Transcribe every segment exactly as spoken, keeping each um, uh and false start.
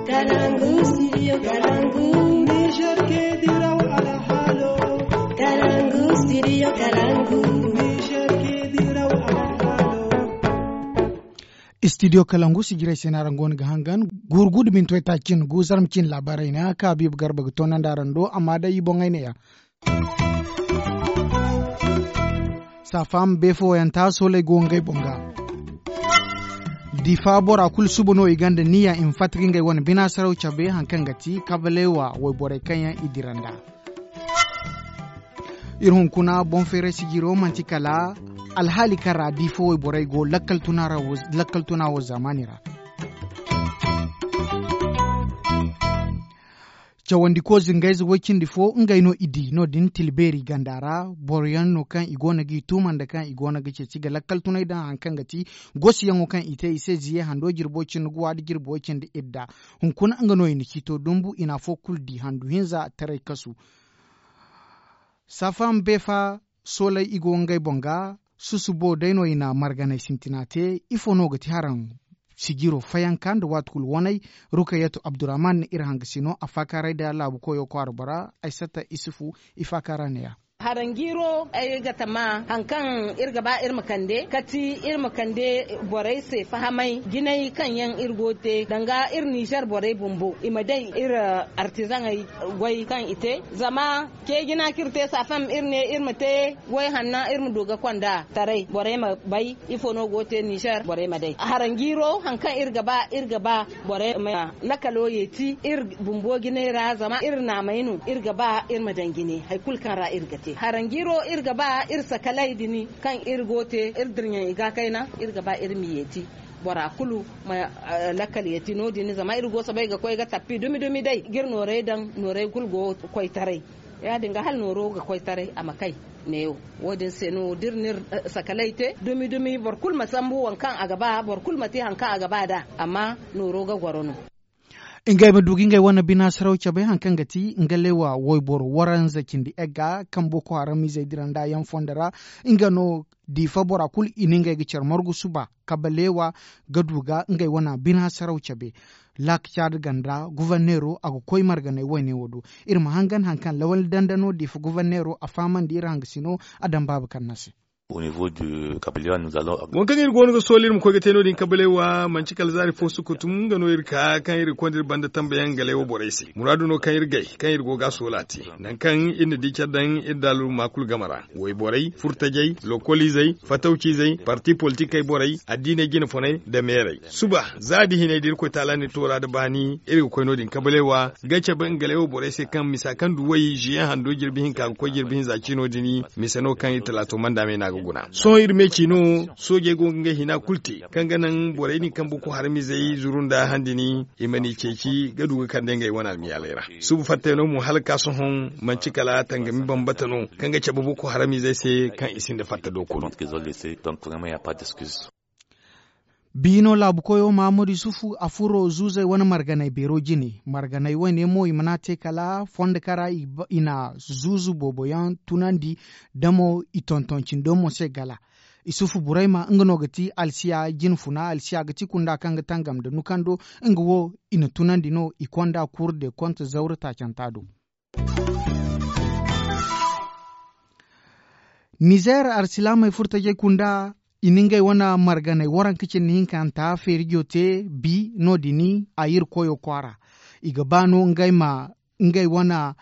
Kalangu, studio Kalangu. Niger ke diraw alhalo. Kalangu, studio Kalangu. Niger ke diraw alhalo. Studio Kalangu, sijiray se no araŋ go no ga hangan. Gurgudu min toy ta cin gu zarma cin laabaarey ne a ka biiba garba ga toonandi araŋ do amma day i boŋey ne ya. Saafaama beefo yaŋ ta sooley go ngey boŋ ga. Difa bora kulu suba no i gonda niya i ma fatta ga ngey wane bina saraw cabe hari kaŋ ga ti kabaleewa wayborey kaŋ yaŋ i dira nd'a. Iri hunkuna boŋ feeray sijiro manti kala alhaali kaŋ ra difa wayborey go lakkal tuna wo zaamaani ra. Cawandiko zingayze way cindi fo ngey no i di no- din tilbeeri ganda ra. Boro yaŋ no kaŋ i go no g'i tuuma nda kaŋ i go no ga ceeci ga lakkal tunay daŋ hari kaŋ ga ti gosi yaŋo kaŋ i te i se ziye hando jirbo cindi guwa nda jirbo cindi idda. Hunkuna nga no i na ciito dumbu i na afo kulu di handu hinza taray kasu. Saafaama beefa sooley i go ngey boŋ ga. Susubo day no i na marganay sintina te. Ifo no ga ti haraŋ sijiro fayanka nda waati kulu waney? Rukayatu abdurrahman na iri hangasino a faakaaray da laabu koyo kwaara bora aysata isufu. I faakaara neeya. Haranjiiro ay ga tama hari kaŋ iri ga ba iri ma kande kati iri ma kande borey se fahamay jinay kaŋ yaŋ iri go ga te danga iri nizer borey bumbo i ma day iri artizaŋey goy kaŋ i te. Zama ce jina kaŋ iri te saafam iri ne iri ma te goy hanna iri ma du ga konda taray borey ma bay ifo no go ga te nizer borey ma day haranjiiro hari kaŋ iri ga ba iri ga ba borey ma lakalo yeeti iri bumbo jinay ra zama iri naamey no iri ga ba iri ma daŋ jine hari kulu kaŋ ra iri ga te haranjiiro iri ga ba iri sakaley din kaŋ iri go ga te iri dirɲey i ga kayna iri ga ba iri ma yeeti bora kulu ma lakkal yeeti no- din zama iri go ga soobay ga koy ga tappi dumi dumi day ga iri noorey daŋ noorey kulu go ga koy taray ya- din ga hala nooro ga koy taray a ma kay. Neewo wo- din se no da iri na iri sakaley te dumi dumi boro kulu ma sambu waŋ kaŋ a ga ba boro kulu ma te hari kaŋ a ga ba nd'a. Amma nooro ga goro no. Ngey ma du ga ngey wane bina saraw cabe hari kaŋ ga ti nga leewa wayboro waranza cindi egga kaŋ boko haramizey dira nd'a yaŋ fondo ra. Nga no diifa bora kulu i na ngey ga care margu suba kabaleewa ga du ga ngey wane bina saraw cabe. Laaka caada ganda guverneero a ga koy marganay wayne wo do. Iri ma hangan hari kaŋ lawal danda no diifa guverneero a fahamandi iri hangasino a daŋ baaba kaŋ no a se. Waŋ kaŋ iri go no ga soola iri ma koy ga te no- din kabaleewa manti kala zaari fo sukutum nga no iri ka kaŋ iri ga konda iri banda tambayaŋ nga leewa borey se muraadu no kaŋ iri gay kaŋ iri go ga a soola te. Nangu kaŋ iri na di care daŋ iri daaluma kulu game ra wayborey furtajey lokoliizey fatawciizey parti politikey borey addiiney jine foney nda meerey. Suba za da hinay da irkoy taala na iri toora nda baani iri ga koy no- din kabaleewa ga cabe nga leewa borey se kaŋ misa kaŋ du way ziyaŋ hando jirbi hinka ga koy jirbi hinza ciino din. Mise no kaŋ iri talaato manda me no a ga guna sohõ iri me ci no. Soojey go ga ngey hina kulu te kaŋ ga naŋ borey din kaŋ boko haramizey zuru nda handini i mana i ceeci ga du ga kande ngey wane almiyaaley ra. Suba fattey no mo hala ga ka sohõ manti kala tangami bambata no kaŋ ga cabe boko haramizey se kaŋ i sinda fatta do kulu. Biino laabu koyo mahamadu yusufu a furo zuuzey wane marganay beero jine marganay wayne mo i mana te kala fondo kara i na zuuzu boobo yaŋ tunandi. Damo i tonton cindo mo se gala. Yusufu burayma nga no ga ti alsiya jine funa alsiya ga ti kunda kaŋ ga tangam nda nukando. Nga wo i na tunandi no i konda kuuru de konte zawra taacanta do. Nizer arsilaamey furtajey kunda i na ngey wane marganey waranka cindi hinkanta feerijo te bi no- din a yirkoyo kwaara. I ga ba no ngey ma ngey wane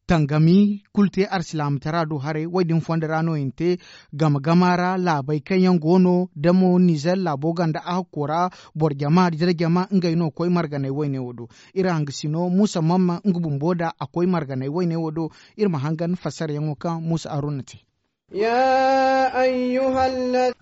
tangami kulu te arsilaamtara do haray wo- din fondo ra no i na te. Gama gama ra laabey kaŋ yaŋ go no damo nizer laabo ganda a hakko ra boro jama dira jama ngey no koy marganey wayne wo do. Iri hangasino muusa mamma nga bumbo nda a koy marganey wayne wo do. Iri ma hangan fassarayaŋo kaŋ muusa haruna te.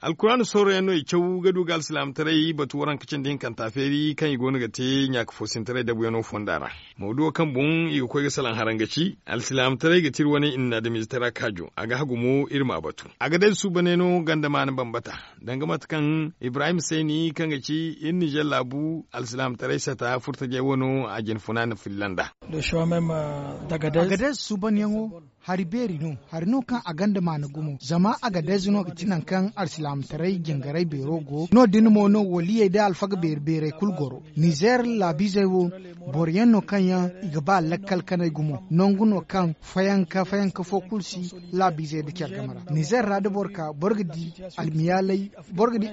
Alkuraana sooroyaŋ no i caw ga du ga alsilaamataray batu waranka cindi hinkanta feeri kaŋ i go no ga te ɲaaka foosintaray dabuyaŋo fonda ra. Mawduwo kaŋ boŋ i ga koy ga salaŋ haraŋ ga ci alsilaamataray ga ti iri wane i na ni adamiizetaray kaajo a ga hagu mo iri ma a batu. A ga day suubaney no ganda maana bambata danga mate kaŋ ibrahim sayni kaŋ ga ci iri nizer laabu alsilaamataray sata furtajey wano a jine funa na filla nd'a. Agadez suubanyaŋo. Hari beeri no hari no kaŋ a gonda maana gumo zama agadez no ga ti nangu kaŋ alsilaamataray jingaray beero go no- din mo no waliyey day alfaga beeri beerey kulu goro. Nizeer laabiizey wo boro yaŋ no kaŋ yaŋ i ga ba lakkal kanay gumo nangu no kaŋ fayanka fayanka fo kulu si laabiizey nda care game ra nizeer ra da boro ka boro ga di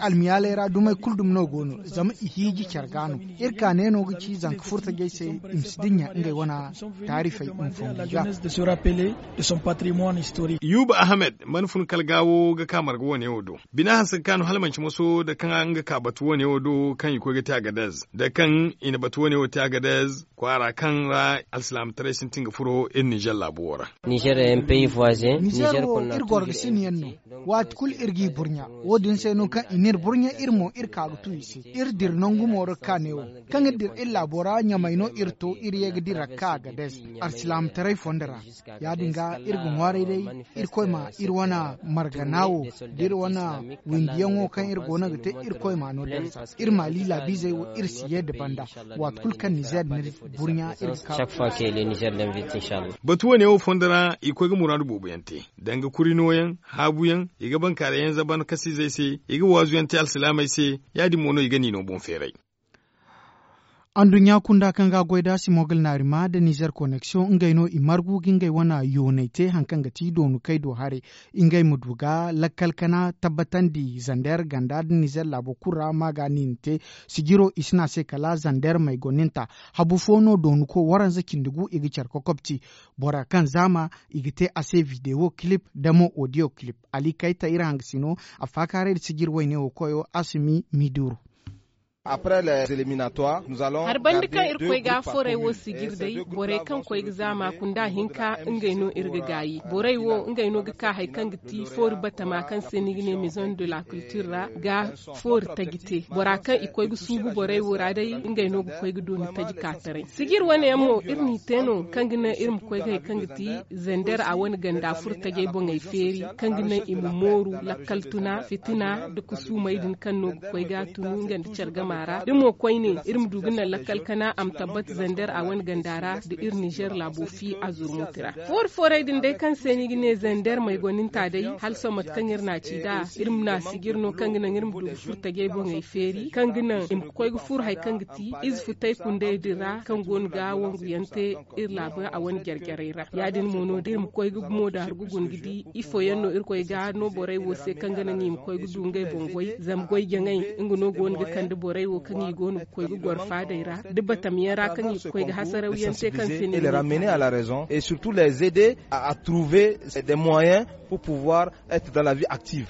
almiyaalay ra dumey kulu dumi no go no zama i hiiji care ga no. Iri ka ne no ga ci zanka furtajey se i ma si dinya ngey wane taarifey ma fongu i ga. Yuba ahmed mana fun kala gaawo ga ka marga wo- ne wo do bina hanse ga ka no hala manci moso nda kaŋ nga ka batu wo- ne wo do kaŋ i koy ga te agadez nda kaŋ i na batu wo- ne wo te agadez kwaara kaŋ ra alsilaamataray sintin ga furo iri nizer laabo wo ra. Nizer wo iri goro ga sina yaŋ no. Waati kulu iri g'i burɲa wo- din se no kaŋ i n'iri burɲa iri mo iri ka ga tu i se. Iri dira nangu mo ra ga ka ne wo kaŋ iri dira iri laabo ra ɲamay no iri to iri ye ga dira ga ka agadez alsilaamataray fondo ra. Ya- din ga iri ga ŋwaaray day iri koy ma iri wane margana wo da iri wane windiyaŋo kaŋ iri go no ga te iri koy ma no darza. Iri maali laabiizey wo iri si ye nda banda waati kulu kaŋ nizeer n'iri burɲa iri ga ka. Batu wo- ne wo fondo ra i koy ga muraadu boobo yaŋ te danga kuri nooyaŋ haabu yaŋ i ga bankaaray yaŋ zaban kasiizey se i ga waazu yaŋ te alsilaamey se. Ya- din mo no i ga niino boŋ feeray. Anduɲɲa kunda kaŋ ga a goy nd'a simon ga alnaari ma nda nizer koneksiyoŋ ngey no i margu ga ngey wane yoonay te hari kaŋ ga ti doonu kay do haray ngey ma du ga lakkal kana tabbatandi zander ganda nda nizer laabo kulu ra ma ga niina te. Sijiro i si ne a se kala zander maygoninta. Habu fo no doonu ko waranza cindi gu i ga care kokobti bora kaŋ zaama i ga te a se videwo kilip nda mo odiyo kilip. Ali kayta iri hangasino a faakaaray nda sijiri wayne wo koyo asumi miduru. Hari banda kaŋ iri koy ga forey wo sijiri day borey kaŋ koy ga zaama kunda hinka ngey no iri ga gaayi borey wo ngey no ga ka hari kaŋ ga ti foori batama kaŋ se ni ga ne maison de la culture ra ga foori taji te bora kaŋ i koy ga suubu borey wo ra day ngey no ga koy ga dooni taji ka taray sijiri wane yaŋ mo iri n'i te no kaŋ ga naŋ iri ma koy ga hari kaŋ ga ti zander a wane ganda furo tajey boŋey feeri kaŋ ga naŋ i ma mooru lakkal tuna fitina nda kusuumey din kaŋ no ga koy ga a tunu nga nda care gama ra da mo koyne iri ma du ga naŋ lakkal kana a ma tabbata zander a wane ganda ra nda iri nizer laabo fi a zurmuti ra. Foori foorey din day kaŋ se ni ga ne zander maygoninta day hala sohõ mate kaŋ iri n'a ci nd'a iri ma n'a sijiri no kaŋ ga naŋ iri ma du ga furo tajey boŋey feeri kaŋ ga naŋ i ma koy ga furo hari kaŋ ga ti ize futay kundey din ra kaŋ go no ga wangu yaŋ te iri laabu a wane jare jarey ra ya- din mo no da iri ma koy ga gumo da hari ga guna ga di ifo yaŋ no iri koy ga no borey wo se kaŋ ga naŋ i ma koy ga du ngey boŋ goy zama goy jaŋay nga no go no ga kande borey wo kaŋ i go no ga koy ga goro faadey ra da batam yaŋ ra kaŋ i ga koy ga hasaraw yaŋ te kaŋ se ne. Ramener à la raison et surtout les aider à trouver des moyens pour pouvoir être dans la vie active.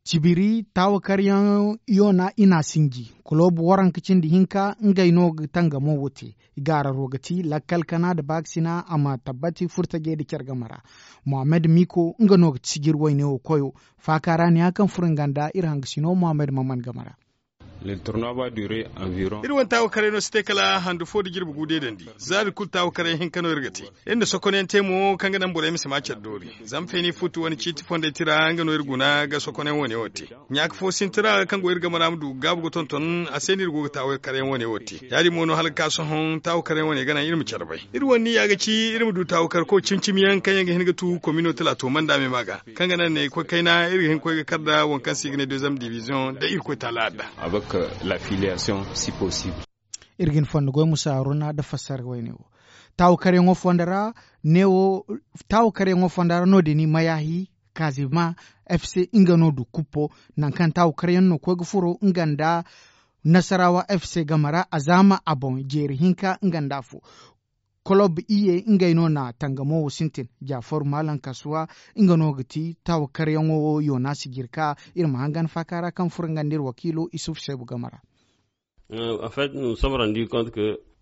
Cibiri taawakaryaŋ yoona i n'a sinji kulob waranka cindi hinka ngey no ga tangamo wo te. Gaararo ga ti lakkal kana nda baakasina a ma tabbati furtajey nda care game ra. Mohammed miko nga no ga ti sijiri wayne wo koyo. Faaka ra ne ya kaŋ furo nga nda iri hangasino mohammed maman game ra. Iri wane taawakarey no si te kala handu fo nda jirbi gu deedandi. Zaari kulu taawakarey hinka no iri ga te. Iri na sokonyaŋ te mo kaŋ ga naŋ borey ma si ma care doori. Zama feeni futu wane ciiti fondey tira nga no iri guna ga sokonyaŋ wane wo te. Ɲaaka fo sintin ra kaŋ go iri game ra ma du ga gaabu ga tonton a se no iri go ga taawakaryaŋ wane wo te. Ya- din mo no hala ga ka sohõ taawakaryaŋ wane ga naŋ iri ma care bay. Iri wane niyya ga ci iri ma du taawakar koy cimi cimi yaŋ kaŋ yaŋ ga hin ga tu komino talaato manda me ma ga kaŋ ga naŋ ne koy kayna iri ga hin ga koy ga kar nda waŋ kaŋ se i ga ne deuxième division da irkoy taala adda. Iri ga hin fonda goy musa haruna nda fassara wayne wo. Taawakaryaŋo fonda ra ne wo taawakaryaŋo fonda ra no- din mayahi kazima f c nga no du kuppo. Nangu kaŋ taawakaryaŋ no koy ga furo nga nda nasarawa f c game ra a zaama a boŋ jeeri hinka nga nda afo. Kolob iye ngey no na tangamo wo sintin. Jaafaru maalam kasuwa nga no ga ti taawakaryaŋo wo yoona sijiri ka iri ma hangan faaka ra kaŋ furo nga nda iri wakiilo isuf seebu game ra.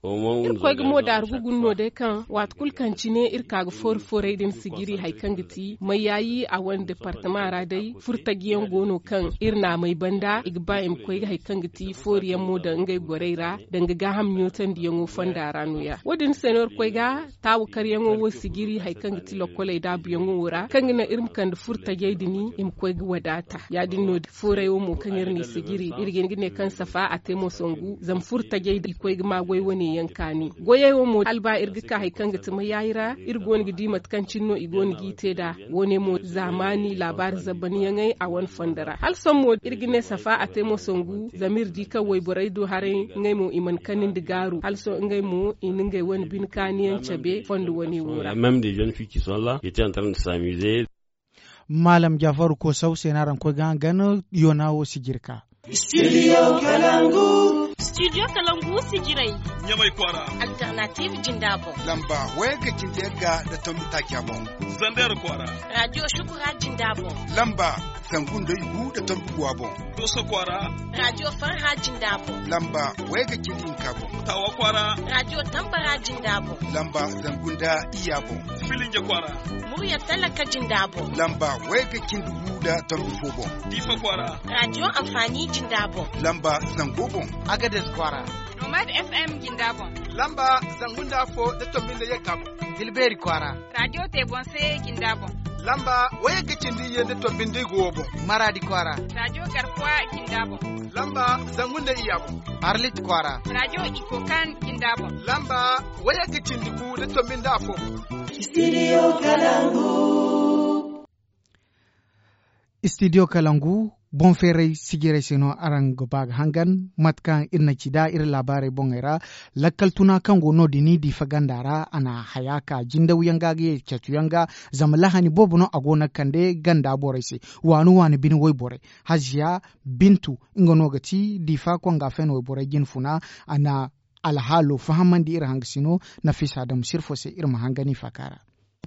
Iri koy ga mo daaru ga guna no day kaŋ waati kulu kaŋ cine iri ka ga foori foorey din sijiri hari kaŋ ga ti mayyaayi a wane departama ra day furtajiyaŋ go no kaŋ iri n'a may banda i ga ba i ma koy ga hari kaŋ ga ti fooriyaŋ mo daŋ ngey gorey ra danga gaaham ɲootandiyaŋo fonda ra nooya wo- din se no iri koy ga taawakaryaŋo wo sijiri hari kaŋ ga ti lokkoley daabuyaŋo wo ra kaŋ ga naŋ iri ma kande furtajey din i ma koy ga wadaata ya- din no foorey wo mo kaŋ iri n'i sijiri iri ga hin ga ne kaŋ safa a te mo songu zama furtajey i koy ga ma goy wane. Yaŋ kaani goyey wo mo hala ba iri ga ka hari kaŋ ga ti mayaayi ra iri go no ga di mate kaŋ cine no i go no g'i te nd'a. Wo- ne mo zaamaani laabaari zabbaniyaŋey a wane fondo ra hala sohõ mo iri ga ne safa a te mo sangu zama iri di kaŋ wayborey do haray ngey mo i mana kani nda gaaru hala sohõ ngey mo i na ngey wane bine kaaniyaŋ cabe fondo wane wo ra. Maalam jaafaru koosaw se no araŋ koy ga haŋ gana yoona wo sijiri ka. Studio kalangu. Studio kalangu sijirey. Ɲamay kwaara. Alternative jinda boŋ. Lamba wayga cindi yagga nda tombi taaca boŋ. Zander kwaara. Radio shukura jinda boŋ. Lamba zangu nda igu nda tombi guwa boŋ. Dooso kwaara. Radio farha jinda boŋ. Lamba wayga cindi hinka boŋ. Tawa kwaara. Radio tambara jinda boŋ. Lamba zangu nda iyya boŋ. Filinje kwaara. Murya talaka jinda boŋ. Lamba wayga cindi gu nda tombi fo boŋ. Diifa kwaara. Radio amfani jinda boŋ. Lamba zango boŋ. Agades kwaara. Nomad FM jinda boŋ. Lamba zangu nda afo nda tombi nda yagga boŋ. Tilbeeri kwaara. Radio te boŋ se jinda boŋ. Lamba wayagga cindi iyye nda tombi nda igu wo boŋ. Maraadi kwaara. Radio garkuwa jinda boŋ. Lamba zangu nda iyya boŋ. Arlit kwaara. Radio ikokan jinda boŋ. Lamba wayagga cindi gu nda tombi nda afo boŋ. Studio kalangu. Studio kalangu boŋ feeray sijirey se no araŋ ga ba ga hangan. Mate kaŋ iri na ci nd'a iri laabaarey boŋey ra, lakkal tuna kaŋ go no- din diifa ganda ra a na haya ka jindaw yaŋ ga ga ye catu yaŋ ga. Zama lahani boobo no a go no ga kande ganda borey se waani waani bine wayborey, haziya bintu nga no ga ti diifa konga fen wayborey jine funa. A na alhaalo fahamandi iri hangasino. Nafisa dam sirfo se iri ma hangan i faaka ra.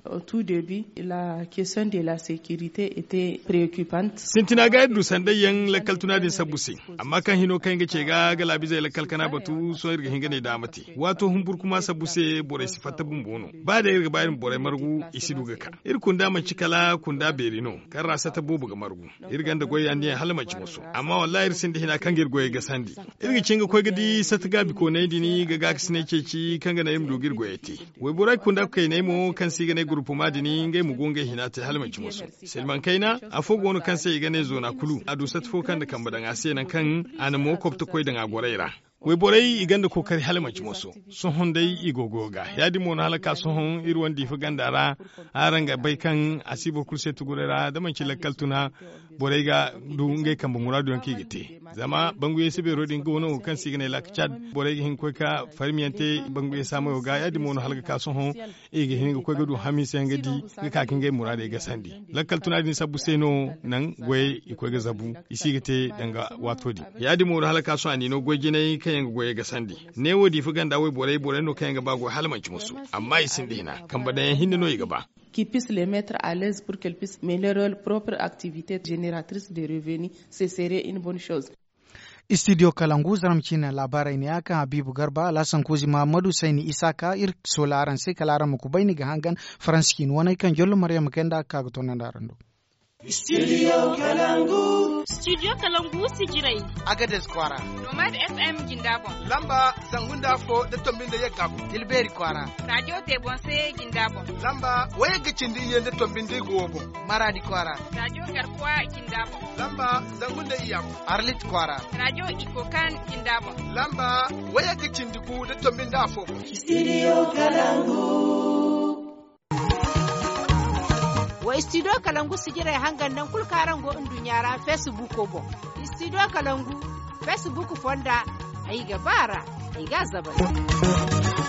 Au tout début la question de la sécurité était préoccupante. Sintina ga iri du sanday yaŋ lakkal tuna din sabbu se. Amma kaŋ hino kaŋ iri ga ce ga galaabizey lakkal kana batu sohõ iri ga hin ga ne daama te waato humburu kuma sabbu se borey si fatta bumbo no. Ba day iri ga ba iri ma borey margu i si du ga ka. Iri kunda manci kala kunda beeri no kaŋ ra sata boobo ga margu. Iri gonda goy yaŋ din yaŋ hala manci moso amma wallaahi iri sinda hina kaŋ ga iri goyey gasandi. Iri ga cin ga koy ga di sata gaabi kooney din ga gaakasiney ceeci kaŋ ga naŋ iri ma du ga iri goyey te. Wayborey kunda kayney mo kaŋ se i ga ne gurupuma din ngey ma go ngey hina te hala manci moso. Silmaŋ kayna afo go no kaŋ se i ga ne zoona kulu a du sata fo kaŋ nda kambe daŋ a se naŋ kaŋ a na mo kobto koy daŋ a gorey ra. Wayborey i gonda kookari hala manci moso. Sohõ day i go goyo ga ya- din mo no hala ka sohõ iri wane diifa ganda ra. Araŋ ga bay kaŋ a si boro kulu se tuguray ra da manci lakkal tuna borey ga du ngey kambe muraadu yaŋ kaŋ i ga te. Zama banguyey si beero din go no kaŋ se i ga ne laaka cad. Borey ga hin ga koy ka farmiyaŋ te banguyey saamayo ga ya- din mo no hala ga ka sohõ i ga hin ga koy ga du hamiisa yaŋ ga di ga ka ga ngey muraadey gasandi. Lakkal tuna din sabbu se no naŋ goyey i koy ga zabu i si ga te danga waato din. Ya- din mo no hala ka sohõ a n'i no goy jinay kaŋ yaŋ ga goyey gasandi. Neewo diifa ganda wayborey borey no kaŋ yaŋ ga ba goy hala manci musu. Amma i sinda hina kambe daŋ yaŋ hinne no i ga ba. Qui puisse les mettre à l'aise pour qu'elles puissent mener leur propre activité génératrice de revenus. Ce serait une bonne chose. Studio kalangu zarma ciine laabaarey ne ya kaŋ habiibu garba alhassan kuuzi mahammadu sayni isaaka iri soola araŋ se kala araŋ ma kubay ni ga hangan faransi ciine waney kaŋ jollo maryam kayna nda a ga ka ga toonandi araŋ do. Studio kalangu. Studio kalangu sijirey. Agades kwaara. Nomad FM jinda boŋ. Lamba zangu nda afo nda tombi nda yagga boŋ. Tilbeeri kwaara. Radio te boŋ se jinda boŋ. Lamba wayagga cindi iyye nda tombi nda igu wo boŋ. Maraadi kwaara. Radio garkuwa jinda boŋ. Lamba zangu nda iyya boŋ. Arlit kwaara. Radio ikokan jinda boŋ. Lamba wayagga cindi gu nda tombi nda afo boŋ. Studio kalangu. Wa studio kalangu sijirey hangan naŋ kulu kaŋ araŋ go nduɲɲa ra facebook boŋ. Studio kalangu facebook fonda. Ay ga ba ra. Ay ga a zabay.